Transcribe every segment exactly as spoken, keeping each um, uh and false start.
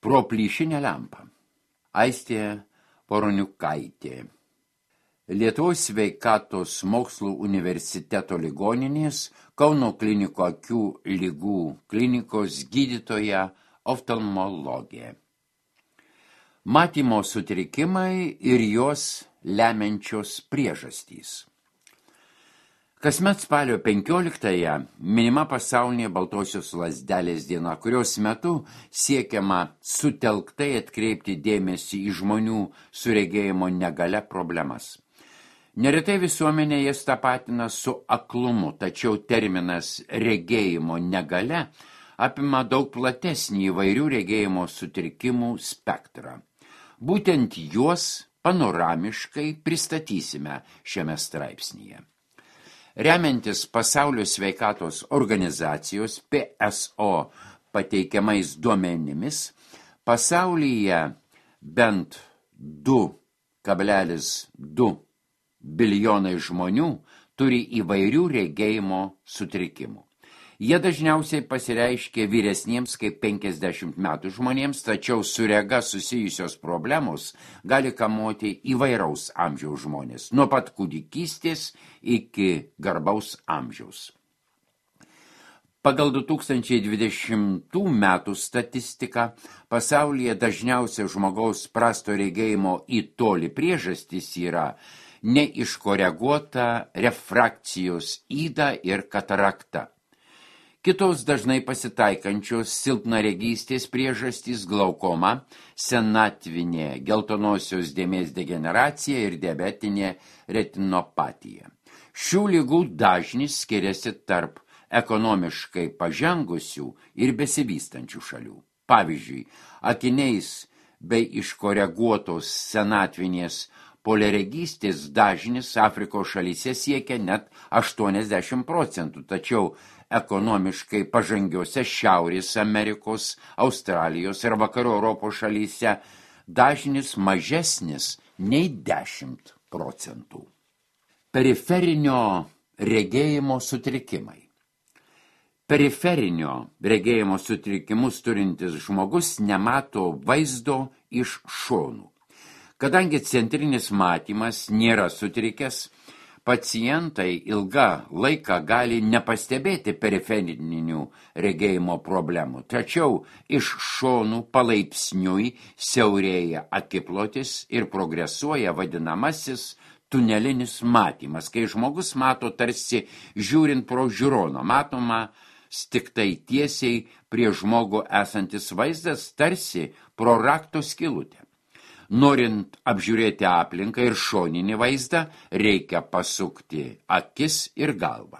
Pro plyšinę lempą. Aistė Poroniukaitė. Lietuvos sveikatos mokslų universiteto ligoninės Kauno kliniko akių ligų klinikos gydytoja oftalmologė. Matymo sutrikimai ir jos lemiančios priežastys. Kasmet spalio penkioliktąją minima pasaulinė baltosios lazdelės diena, kurios metu siekiama sutelktai atkreipti dėmesį į žmonių su regėjimo negalia problemas. Neretai visuomenė jas tapatina su aklumu, tačiau terminas regėjimo negalia apima daug platesnį įvairių regėjimo sutrikimų spektrą. Būtent juos panoramiškai pristatysime šiame straipsnyje. Remiantis Pasaulio sveikatos organizacijos P S O pateikiamais duomenimis, pasaulyje bent du kablelis du bilijonai žmonių turi įvairių regėjimo sutrikimų. Jie dažniausiai pasireiškia vyresniems kaip penkiasdešimt metų žmonėms, tačiau su rega susijusios problemos gali kamuoti įvairaus amžiaus žmonės, nuo pat kūdikystės iki garbaus amžiaus. Pagal du tūkstančiai dvidešimtų metų statistiką pasaulyje dažniausia žmogaus prasto regėjimo į tolį priežastys yra neiškoreguota refrakcijos yda ir katarakta. Kitos dažnai pasitaikančios silpnaregystės priežastys glaukoma, senatvinė geltonosios dėmės degeneracija ir diabetinė retinopatija. Šių ligų dažnis skiriasi tarp ekonomiškai pažengusių ir besivystančių šalių. Pavyzdžiui, akiniais bei iškoreguotos senatvinės poliaregystės dažnis Afrikos šalyse siekia net aštuoniasdešimt procentų, tačiau ekonomiškai pažangiose Šiaurės Amerikos, Australijos ir Vakarų Europos šalyse dažnis mažesnis nei dešimt procentų. Periferinio regėjimo sutrikimai. Periferinio regėjimo sutrikimus turintis žmogus nemato vaizdo iš šonų. Kadangi centrinis matymas nėra sutrikęs, pacientai ilgą laiką gali nepastebėti periferinių regėjimo problemų, tačiau iš šonų palaipsniui siaurėja akiplotis ir progresuoja vadinamasis tunelinis matymas, kai žmogus mato tarsi žiūrint pro žiūroną, matoma tiktai tiesiai prie žmogų esantis vaizdas tarsi pro rakto skylutę. Norint apžiūrėti aplinką ir šoninį vaizdą, reikia pasukti akis ir galvą.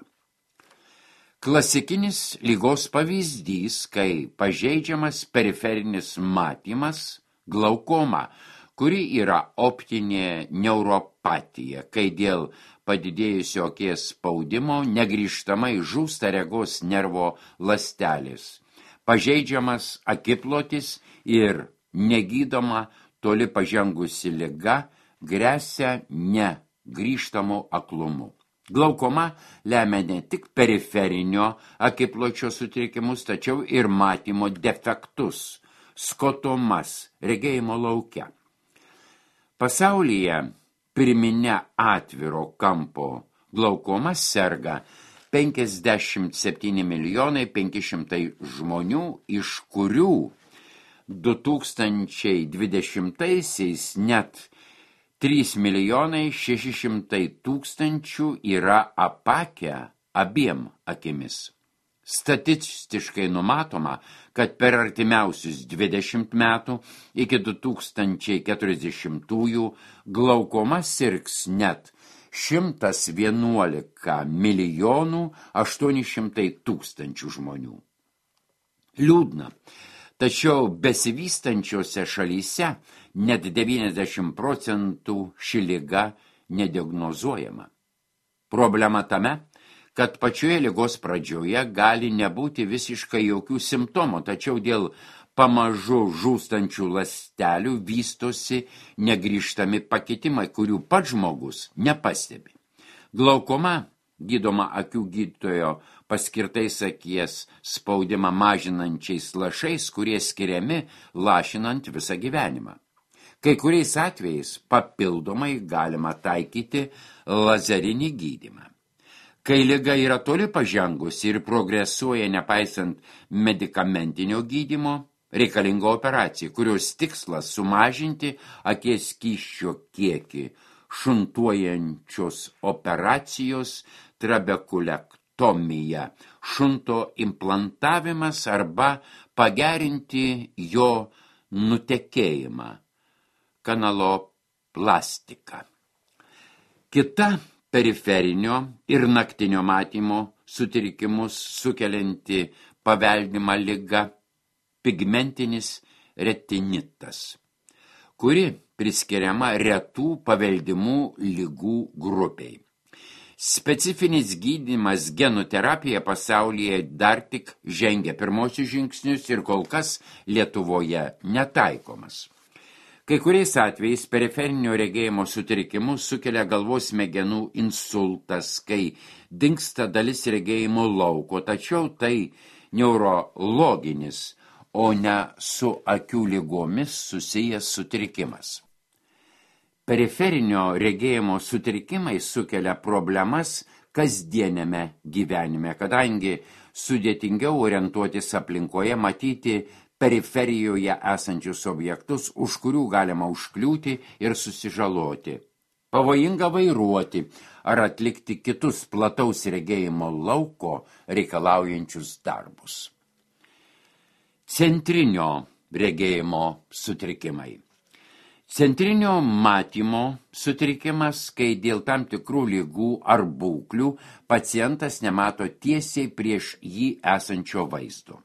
Klasikinis ligos pavyzdys, kai pažeidžiamas periferinis matymas, glaukoma, kuri yra optinė neuropatija, kai dėl padidėjusio akies spaudimo negrįžtamai žūsta regos nervo ląstelės, pažeidžiamas akiplotis ir negydoma toli pažengusi liga gresia negrįžtamu aklumu. Glaukoma lemia ne tik periferinio akipločio sutrikimus, tačiau ir matymo defektus, skotomas regėjimo lauke. Pasaulyje pirminė atviro kampo glaukoma serga penkiasdešimt septyni milijonai penki šimtai žmonių, iš kurių du tūkstančiai dvidešimtaisiais net trys milijonai šeši šimtai tūkstančių yra apakę abiem akimis. Statistiškai numatoma, kad per artimiausius dvidešimt metų iki du tūkstančiai keturiasdešimtųjų glaukoma sirgs net šimtas vienuolika milijonų aštuoni šimtai tūkstančių žmonių. Liūdna. Tačiau besivystančiose šalyse net devyniasdešimt procentų ši liga nediagnozuojama. Problema tame, kad pačioje ligos pradžioje gali nebūti visiškai jokių simptomų, tačiau dėl pamažu žūstančių ląstelių vystosi negrįžtami pakitimai, kurių pats žmogus nepastebi. Glaukoma gydoma akių gydytojo paskirtais akies spaudimą mažinančiais lašais, kurie skiriami lašinant visą gyvenimą. Kai kuriais atvejais papildomai galima taikyti lazerinį gydymą. Kai liga yra toli pažengusi ir progresuoja nepaisant medikamentinio gydymo, reikalinga operacija, kurios tikslas sumažinti akies skysčio kiekį. Šuntuojančios operacijos trabekulektomija, šunto implantavimas arba pagerinti jo nutekėjimą, kanaloplastika. Kita periferinio ir naktinio matymo sutrikimus sukelianti paveldima liga pigmentinis retinitas, kuri priskiriama retų paveldimų ligų grupiai. Specifinis gydymas genų terapija pasaulyje dar tik žengia pirmosius žingsnius ir kol kas Lietuvoje netaikomas. Kai kuriais atvejais periferinio regėjimo sutrikimus sukelia galvos smegenų insultas, kai dingsta dalis regėjimo lauko, tačiau tai neurologinis, o ne su akių ligomis susijęs sutrikimas. Periferinio regėjimo sutrikimai sukelia problemas kasdieniame gyvenime, kadangi sudėtingiau orientuotis aplinkoje, matyti periferijoje esančius objektus, už kurių galima užkliūti ir susižaloti. Pavojinga vairuoti ar atlikti kitus plataus regėjimo lauko reikalaujančius darbus. Centrinio regėjimo sutrikimai. Centrinio matymo sutrikimas, kai dėl tam tikrų ligų ar būklių pacientas nemato tiesiai prieš jį esančio vaizdo.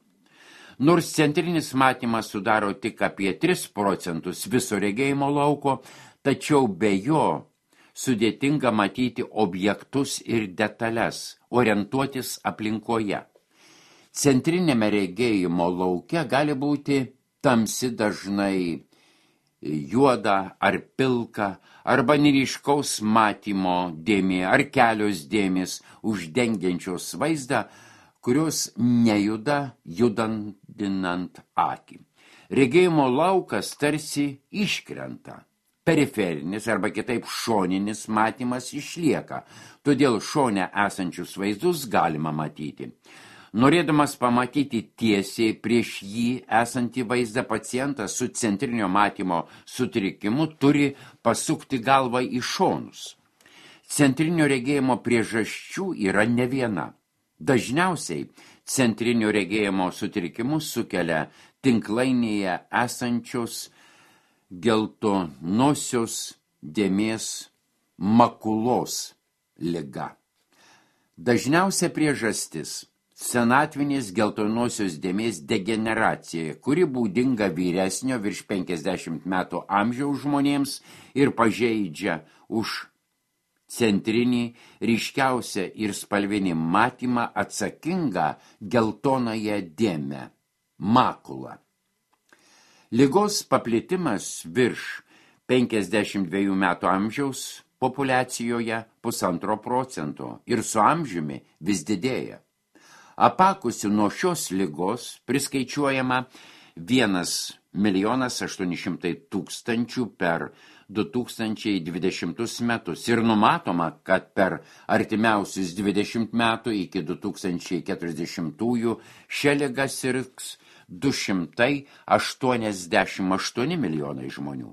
Nors centrinis matymas sudaro tik apie tris procentus viso regėjimo lauko, tačiau be jo sudėtinga matyti objektus ir detalės, orientuotis aplinkoje. Centrinėme regėjimo lauke gali būti tamsi, dažnai juoda ar pilka, arba neryškaus matymo dėmė ar kelios dėmės uždengiančios vaizdą, kurios nejuda judandinant akį. Regėjimo laukas tarsi iškrenta. Periferinis arba kitaip šoninis matymas išlieka, todėl šone esančius vaizdus galima matyti. Norėdamas pamatyti tiesiai prieš jį esantį vaizdą, pacientas su centrinio matymo sutrikimu turi pasukti galvą į šonus. Centrinio regėjimo priežasčių yra ne viena. Dažniausiai centrinio regėjimo sutrikimus sukelia tinklainėje esančios geltonosios dėmės makulos liga. Dažniausia priežastis – senatvinės geltonosios dėmės degeneracija, kuri būdinga vyresnio virš penkiasdešimt metų amžiaus žmonėms ir pažeidžia už centrinį, ryškiausią ir spalvinį matymą atsakingą geltonąją dėmę – makulą. Ligos paplitimas virš penkiasdešimt dviejų metų amžiaus populiacijoje pusantro procento ir su amžiumi vis didėja. Apakusių nuo šios ligos priskaičiuojama vienas milijonas aštuoni šimtai tūkstančių per du tūkstančiai dvidešimtus metus ir numatoma, kad per artimiausius dvidešimt metų iki du tūkstančiai keturiasdešimtųjų šią ligą sirgs du šimtai aštuoniasdešimt aštuoni milijonai žmonių.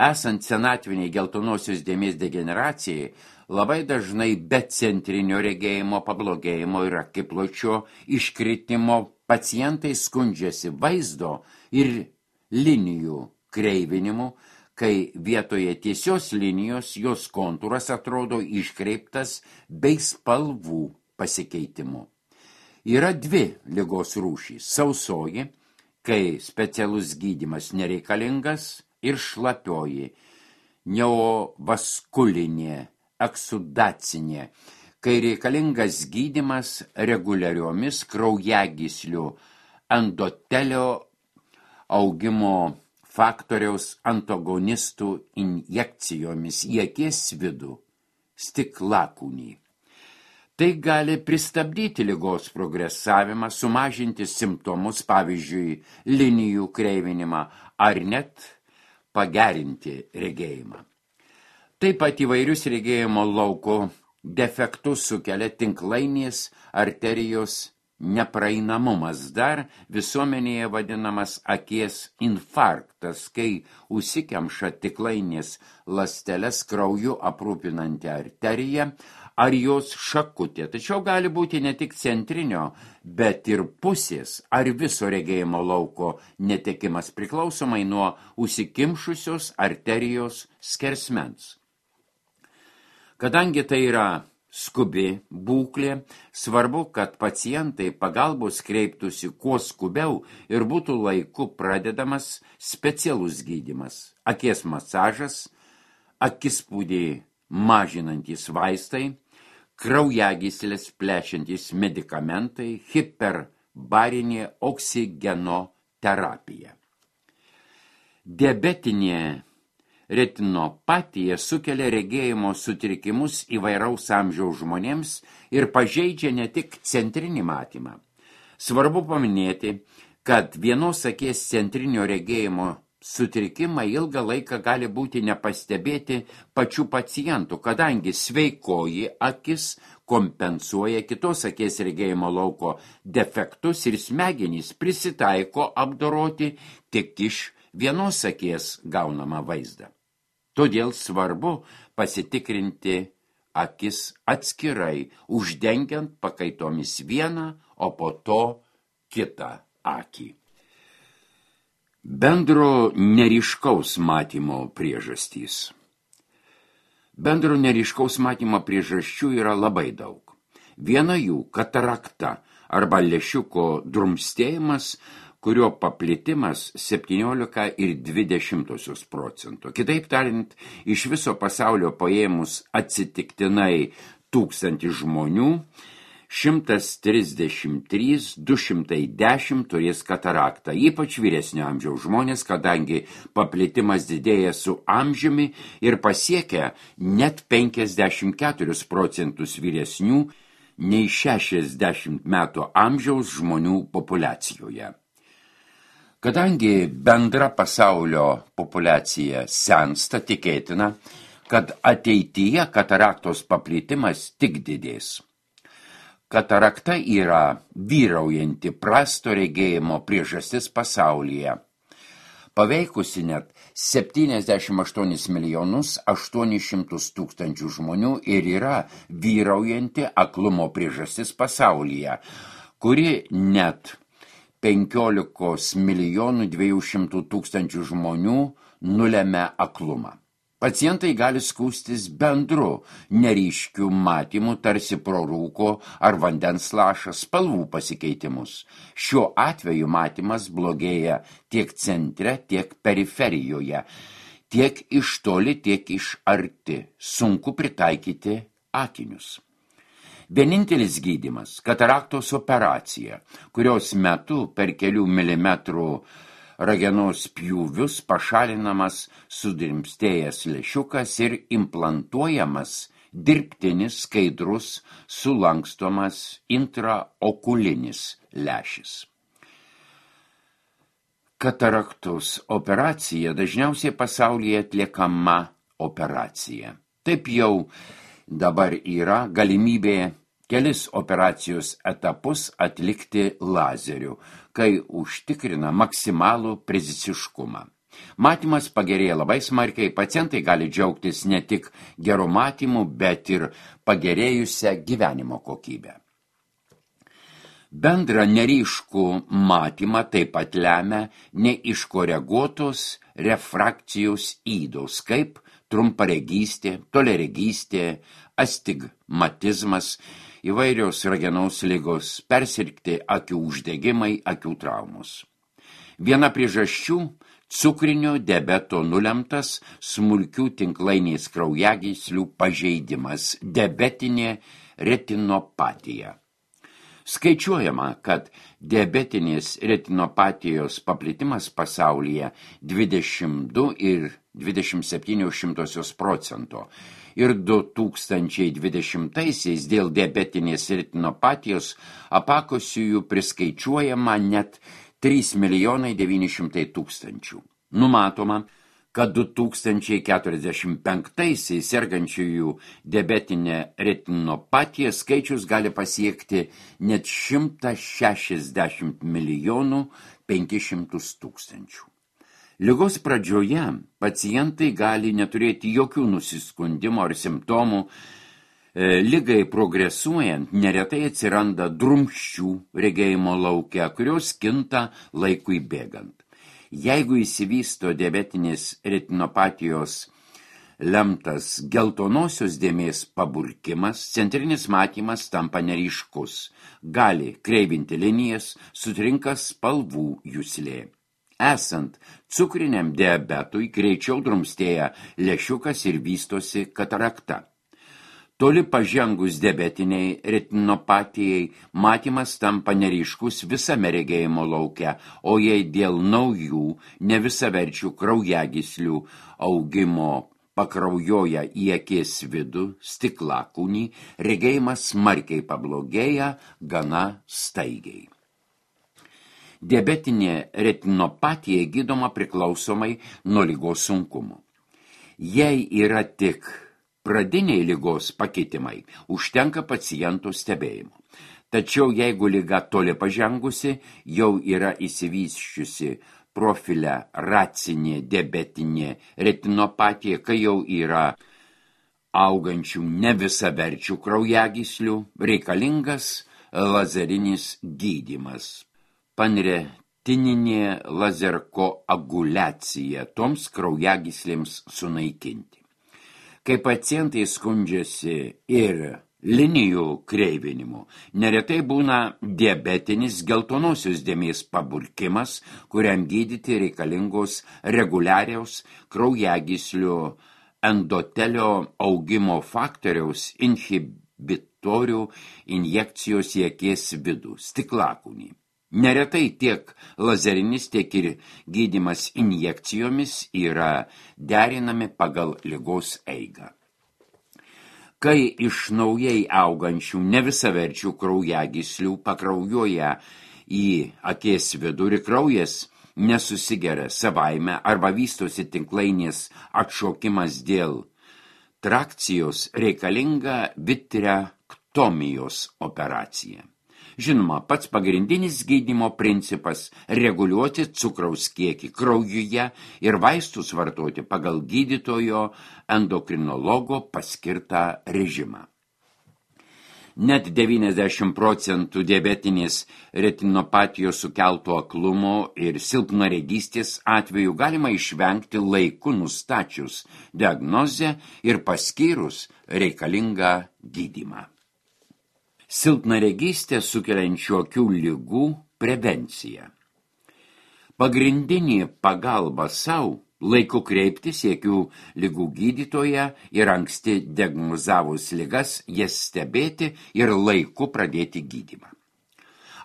Esant senatviniai geltonosios dėmės degeneracijai, labai dažnai be centrinio regėjimo pablogėjimo ir akipločio iškritimo pacientai skundžiasi vaizdo ir linijų kreivinimu, kai vietoje tiesios linijos jos kontūras atrodo iškreiptas bei spalvų pasikeitimu. Yra dvi ligos rūšys – sausoji, kai specialus gydymas nereikalingas, ir šlapioji, neovaskulinė, eksudacinė, kai reikalingas gydymas reguliariomis kraujagyslių endotelio augimo faktoriaus antagonistų injekcijomis į akies vidų stiklakūnį. Tai gali pristabdyti ligos progresavimą, sumažinti simptomus, pavyzdžiui, linijų kreivinimą, ar net pagerinti regėjimą. Taip pat įvairius regėjimo lauko defektus sukelia tinklainės arterijos nepraeinamumas, dar visuomenėje vadinamas akies infarktas, kai užsikemša tinklainės ląsteles krauju aprūpinanti arterija ar jos šakutė. Tačiau gali būti ne tik centrinio, bet ir pusės ar viso regėjimo lauko netekimas priklausomai nuo užsikimšusios arterijos skersmens. Kadangi tai yra skubi būklė, svarbu, kad pacientai pagalbos kreiptųsi kuo skubiau ir būtų laiku pradedamas specialus gydymas, akies masažas, akispūdį mažinantys vaistai, kraujagyslės plečiantys medikamentai, hiperbarinė oksigenoterapija. Diabetinė retinopatija sukelia regėjimo sutrikimus įvairaus amžiaus žmonėms ir pažeidžia ne tik centrinį matymą. Svarbu paminėti, kad vienos akies centrinio regėjimo sutrikimai ilgą laiką gali būti nepastebėti pačių pacientų, kadangi sveikoji akis kompensuoja kitos akies regėjimo lauko defektus ir smegenys prisitaiko apdoroti tik iš vienos akies gaunamą vaizdą. Todėl svarbu pasitikrinti akis atskirai, uždengiant pakaitomis vieną, o po to kitą akį. Bendro neryškaus matymo priežastys. Bendro neryškaus matymo priežasčių yra labai daug. Viena jų – katarakta arba lęšiuko drumstėjimas, kurio paplitimas septyniolika ir dvi dešimtosios procento. Kitaip tariant, iš viso pasaulio paėmus atsitiktinai tūkstantį žmonių, šimtas trisdešimt trys du šimtai dešimt turės kataraktą, ypač vyresnio amžiaus žmonės, kadangi paplitimas didėja su amžiumi ir pasiekia net penkiasdešimt keturis procentus vyresnių nei šešiasdešimt metų amžiaus žmonių populiacijoje. Kadangi bendra pasaulio populiacija sensta, tikėtina, kad ateityje kataraktos paplitimas tik didės. Katarakta yra vyraujanti prasto regėjimo priežastis pasaulyje, paveikusi net septyniasdešimt aštuonis milijonus aštuonis šimtus tūkstančių žmonių ir yra vyraujanti aklumo priežastis pasaulyje, kuri net penkiolikos milijonų dviejų šimtų tūkstančių žmonių nulemia aklumą. Pacientai gali skųstis bendru neryškiu matymu, tarsi pro rūko ar vandens lašą spalvų pasikeitimus. Šiuo atveju matymas blogėja tiek centre, tiek periferijoje, tiek iš toli, tiek iš arti. Sunku pritaikyti akinius. Vienintelis gydymas – kataraktos operacija, kurios metu per kelių milimetrų ragenos pjūvius pašalinamas sudrimstėjęs lęšiukas ir implantuojamas dirbtinis skaidrus sulankstomas intraokulinis lęšis. Kataraktos operacija dažniausiai pasaulyje atliekama operacija. Taip jau dabar yra galimybė kelis operacijos etapus atlikti lazeriu, kai užtikrina maksimalų precisiškumą. Matymas pagerėja labai smarkiai, pacientai gali džiaugtis ne tik geru matymu, bet ir pagerėjusią gyvenimo kokybę. Bendrą neryškų matymą taip pat lemia neiškoreguotos refrakcijos ydos, kaip trumparegystė, toliaregystė, astigmatizmas, įvairios ragenos ligos, persirgti akių uždegimai, akių traumos. Viena priežasčių – cukrinio diabeto nulemtas smulkių tinklainės kraujagyslių pažeidimas, diabetinė retinopatija. Skaičiuojama, kad diabetinės retinopatijos paplitimas pasaulyje dvidešimt du ir dvidešimt septynios šimtosios procento ir du tūkstančiai dvidešimtaisiais dėl diabetinės retinopatijos apakusiųjų priskaičiuojama net trys milijonai devyni šimtai tūkstančių. Numatoma, kad du tūkstančiai keturiasdešimt penktaisiais sergančiųjų diabetinė retinopatija skaičius gali pasiekti net šimtą šešiasdešimt milijonų penkis šimtus tūkstančių. Ligos pradžioje pacientai gali neturėti jokių nusiskundimų ar simptomų. Ligai progresuojant neretai atsiranda drumsčių regėjimo lauke, kurios kinta laikui bėgant. Jeigu įsivysto diabetinės retinopatijos lemtas geltonosios dėmės paburkimas, centrinis matymas tampa neryškus, gali kreivinti linijas, sutrinka spalvų juslė. Esant cukriniam diabetui greičiau drumstėja lęšiukas ir vystosi katarakta. Toli pažengus diabetiniai retinopatijai matymas tampa neryškus visame regėjimo lauke, o jei dėl naujų nevisaverčių kraujagyslių augimo pakraujoja į akies vidų stiklakūnį, regėjimas smarkiai pablogėja gana staigiai. Diabetinė retinopatija gydoma priklausomai nuo ligos sunkumo. Jei yra tik pradiniai ligos pakitimai, užtenka pacientų stebėjimo. Tačiau jeigu liga toli pažengusi, jau yra įsivysčiusi profiliaracinė diabetinė retinopatija, kai jau yra augančių nevisaverčių kraujagyslių, reikalingas lazerinis gydymas. Panretininė lazerkoaguliacija toms kraujagyslėms sunaikinti. Kai pacientai skundžiasi ir linijų kreivinimu, neretai būna diabetinis geltonosios dėmės paburkimas, kuriam gydyti reikalingos reguliariaus kraujagyslių endotelio augimo faktoriaus inhibitorių injekcijos į akies vidų, stiklakūnį. Neretai tiek lazerinis, tiek ir gydymas injekcijomis yra derinami pagal ligos eigą. Kai iš naujai augančių nevisaverčių kraujagyslių pakraujoja į akies vidų ir kraujas nesusigeria savaime arba vystosi tinklainės atšokimas dėl trakcijos, reikalinga vitrektomijos operacija. Žinoma, pats pagrindinis gydymo principas – reguliuoti cukraus kiekį kraujuje ir vaistus vartoti pagal gydytojo endokrinologo paskirtą režimą. Net devyniasdešimt procentų diabetinės retinopatijos sukelto aklumo ir silpnaregystės atveju galima išvengti laiku nustačius diagnozę ir paskyrus reikalingą gydymą. Silpnaregystė sukeliančių akių ligų prevencija. Pagrindinė pagalba sau laiku kreiptis į akių ligų gydytoją ir anksti diagnozavus ligas, jas stebėti ir laiku pradėti gydymą.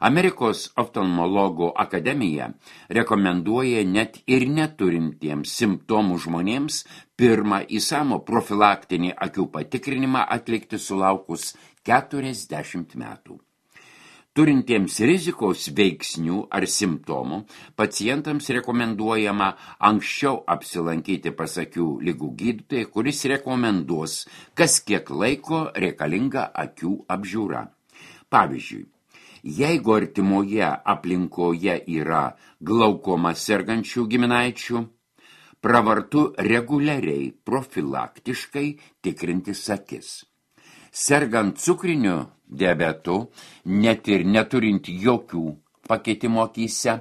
Amerikos oftalmologų akademija rekomenduoja net ir neturintiems simptomų žmonėms pirmą įsamų profilaktinį akių patikrinimą atlikti sulaukus keturiasdešimt metų. Turintiems rizikos veiksnių ar simptomų, pacientams rekomenduojama anksčiau apsilankyti pas akių ligų gydytoją, kuris rekomenduos, kas kiek laiko reikalinga akių apžiūra. Pavyzdžiui, jeigu artimoje aplinkoje yra glaukoma sergančių giminaičių, pravartu reguliariai profilaktiškai tikrintis akis. Sergant cukriniu diabetu, net ir neturint jokių pakeitimo akyse,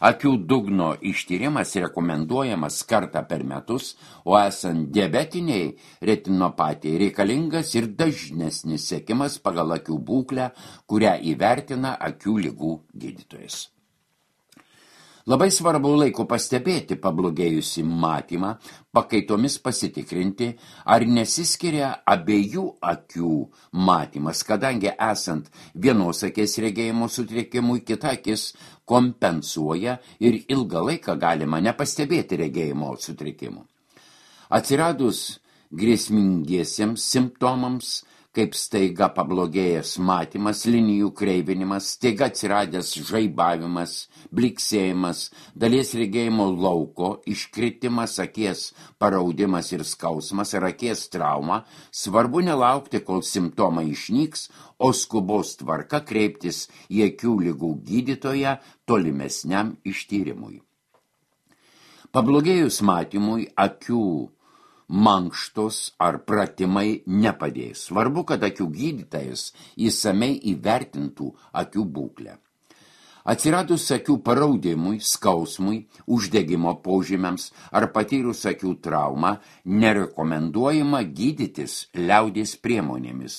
akių dugno ištyrimas rekomenduojamas kartą per metus, o esant diabetiniai retinopatijai reikalingas ir dažnesnis sekimas pagal akių būklę, kurią įvertina akių ligų gydytojas. Labai svarbu laiku pastebėti pablogėjusi matymą, pakaitomis pasitikrinti, ar nesiskiria abiejų akių matymas, kadangi esant vienos akies regėjimo sutrikimui, kita akis kompensuoja ir ilgą laiką galima nepastebėti regėjimo sutrikimų. Atsiradus grėsmingiesiems simptomams, kaip staiga pablogėjęs matymas, linijų kreivinimas, staiga atsiradęs žaibavimas, bliksėjimas, dalies regėjimo lauko, iškritimas, akies paraudimas ir skausmas ar akies trauma, svarbu nelaukti, kol simptomai išnyks, o skubos tvarka kreiptis į akių ligų gydytoją tolimesniam ištyrimui. Pablogėjus matymui, akių mankštos ar pratimai nepadės. Svarbu, kad akių gydytojas įsamei įvertintų akių būklę. Atsiradus akių paraudimui, skausmui, uždegimo požymiams ar patyrus akių traumą, nerekomenduojama gydytis liaudies priemonėmis,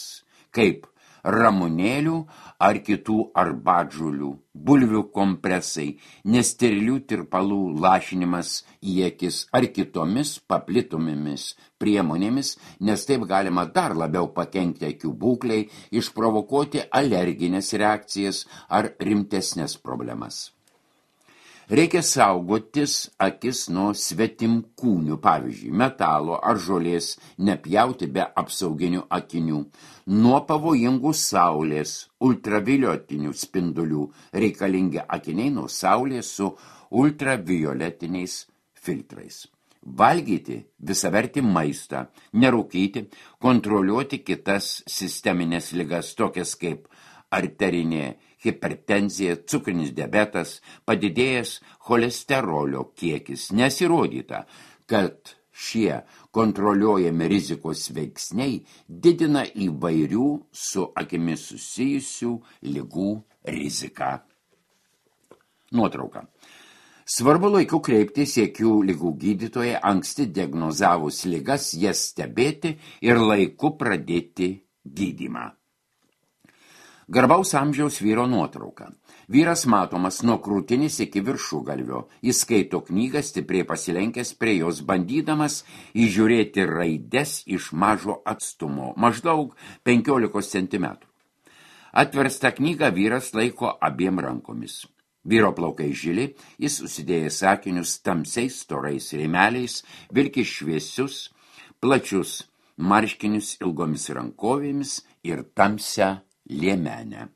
kaip ramunėlių ar kitų arbatžolių, bulvių kompresai, nesterilių tirpalų lašinimas į akis ar kitomis paplitomomis priemonėmis, nes taip galima dar labiau pakenkti akių būklei, išprovokuoti alerginės reakcijas ar rimtesnės problemas. Reikia saugotis akis nuo svetimkūnių, pavyzdžiui, metalo ar žolės, nepjauti be apsauginių akinių, nuo pavojingų saulės, ultravioletinių spindulių, reikalingi akiniai nuo saulės su ultravioletiniais filtrais. Valgyti visavertį maistą, nerūkyti, kontroliuoti kitas sisteminės ligas, tokias kaip arterinė hipertenzija, cukrinis diabetas, padidėjęs cholesterolio kiekis. Nesirodyta, kad šie kontroliuojami rizikos veiksniai didina įvairių su akimis susijusių ligų riziką. Nuotrauka. Svarbu laiku kreiptis į akių ligų gydytoją, anksti diagnozavus ligas, jas stebėti ir laiku pradėti gydymą. Garbaus amžiaus vyro nuotrauka. Vyras matomas nuo krūtinės iki viršugalvio. Jis skaito knygą, stipriai pasilenkęs prie jos, bandydamas įžiūrėti raides iš mažo atstumo, maždaug penkiolikos centimetrų. Atverstą knygą vyras laiko abiem rankomis. Vyro plaukai žili, jis užsidėjęs akinius tamsiais storais rėmeliais, vilki šviesius, plačius marškinius ilgomis rankovėmis ir tamsią liemenę.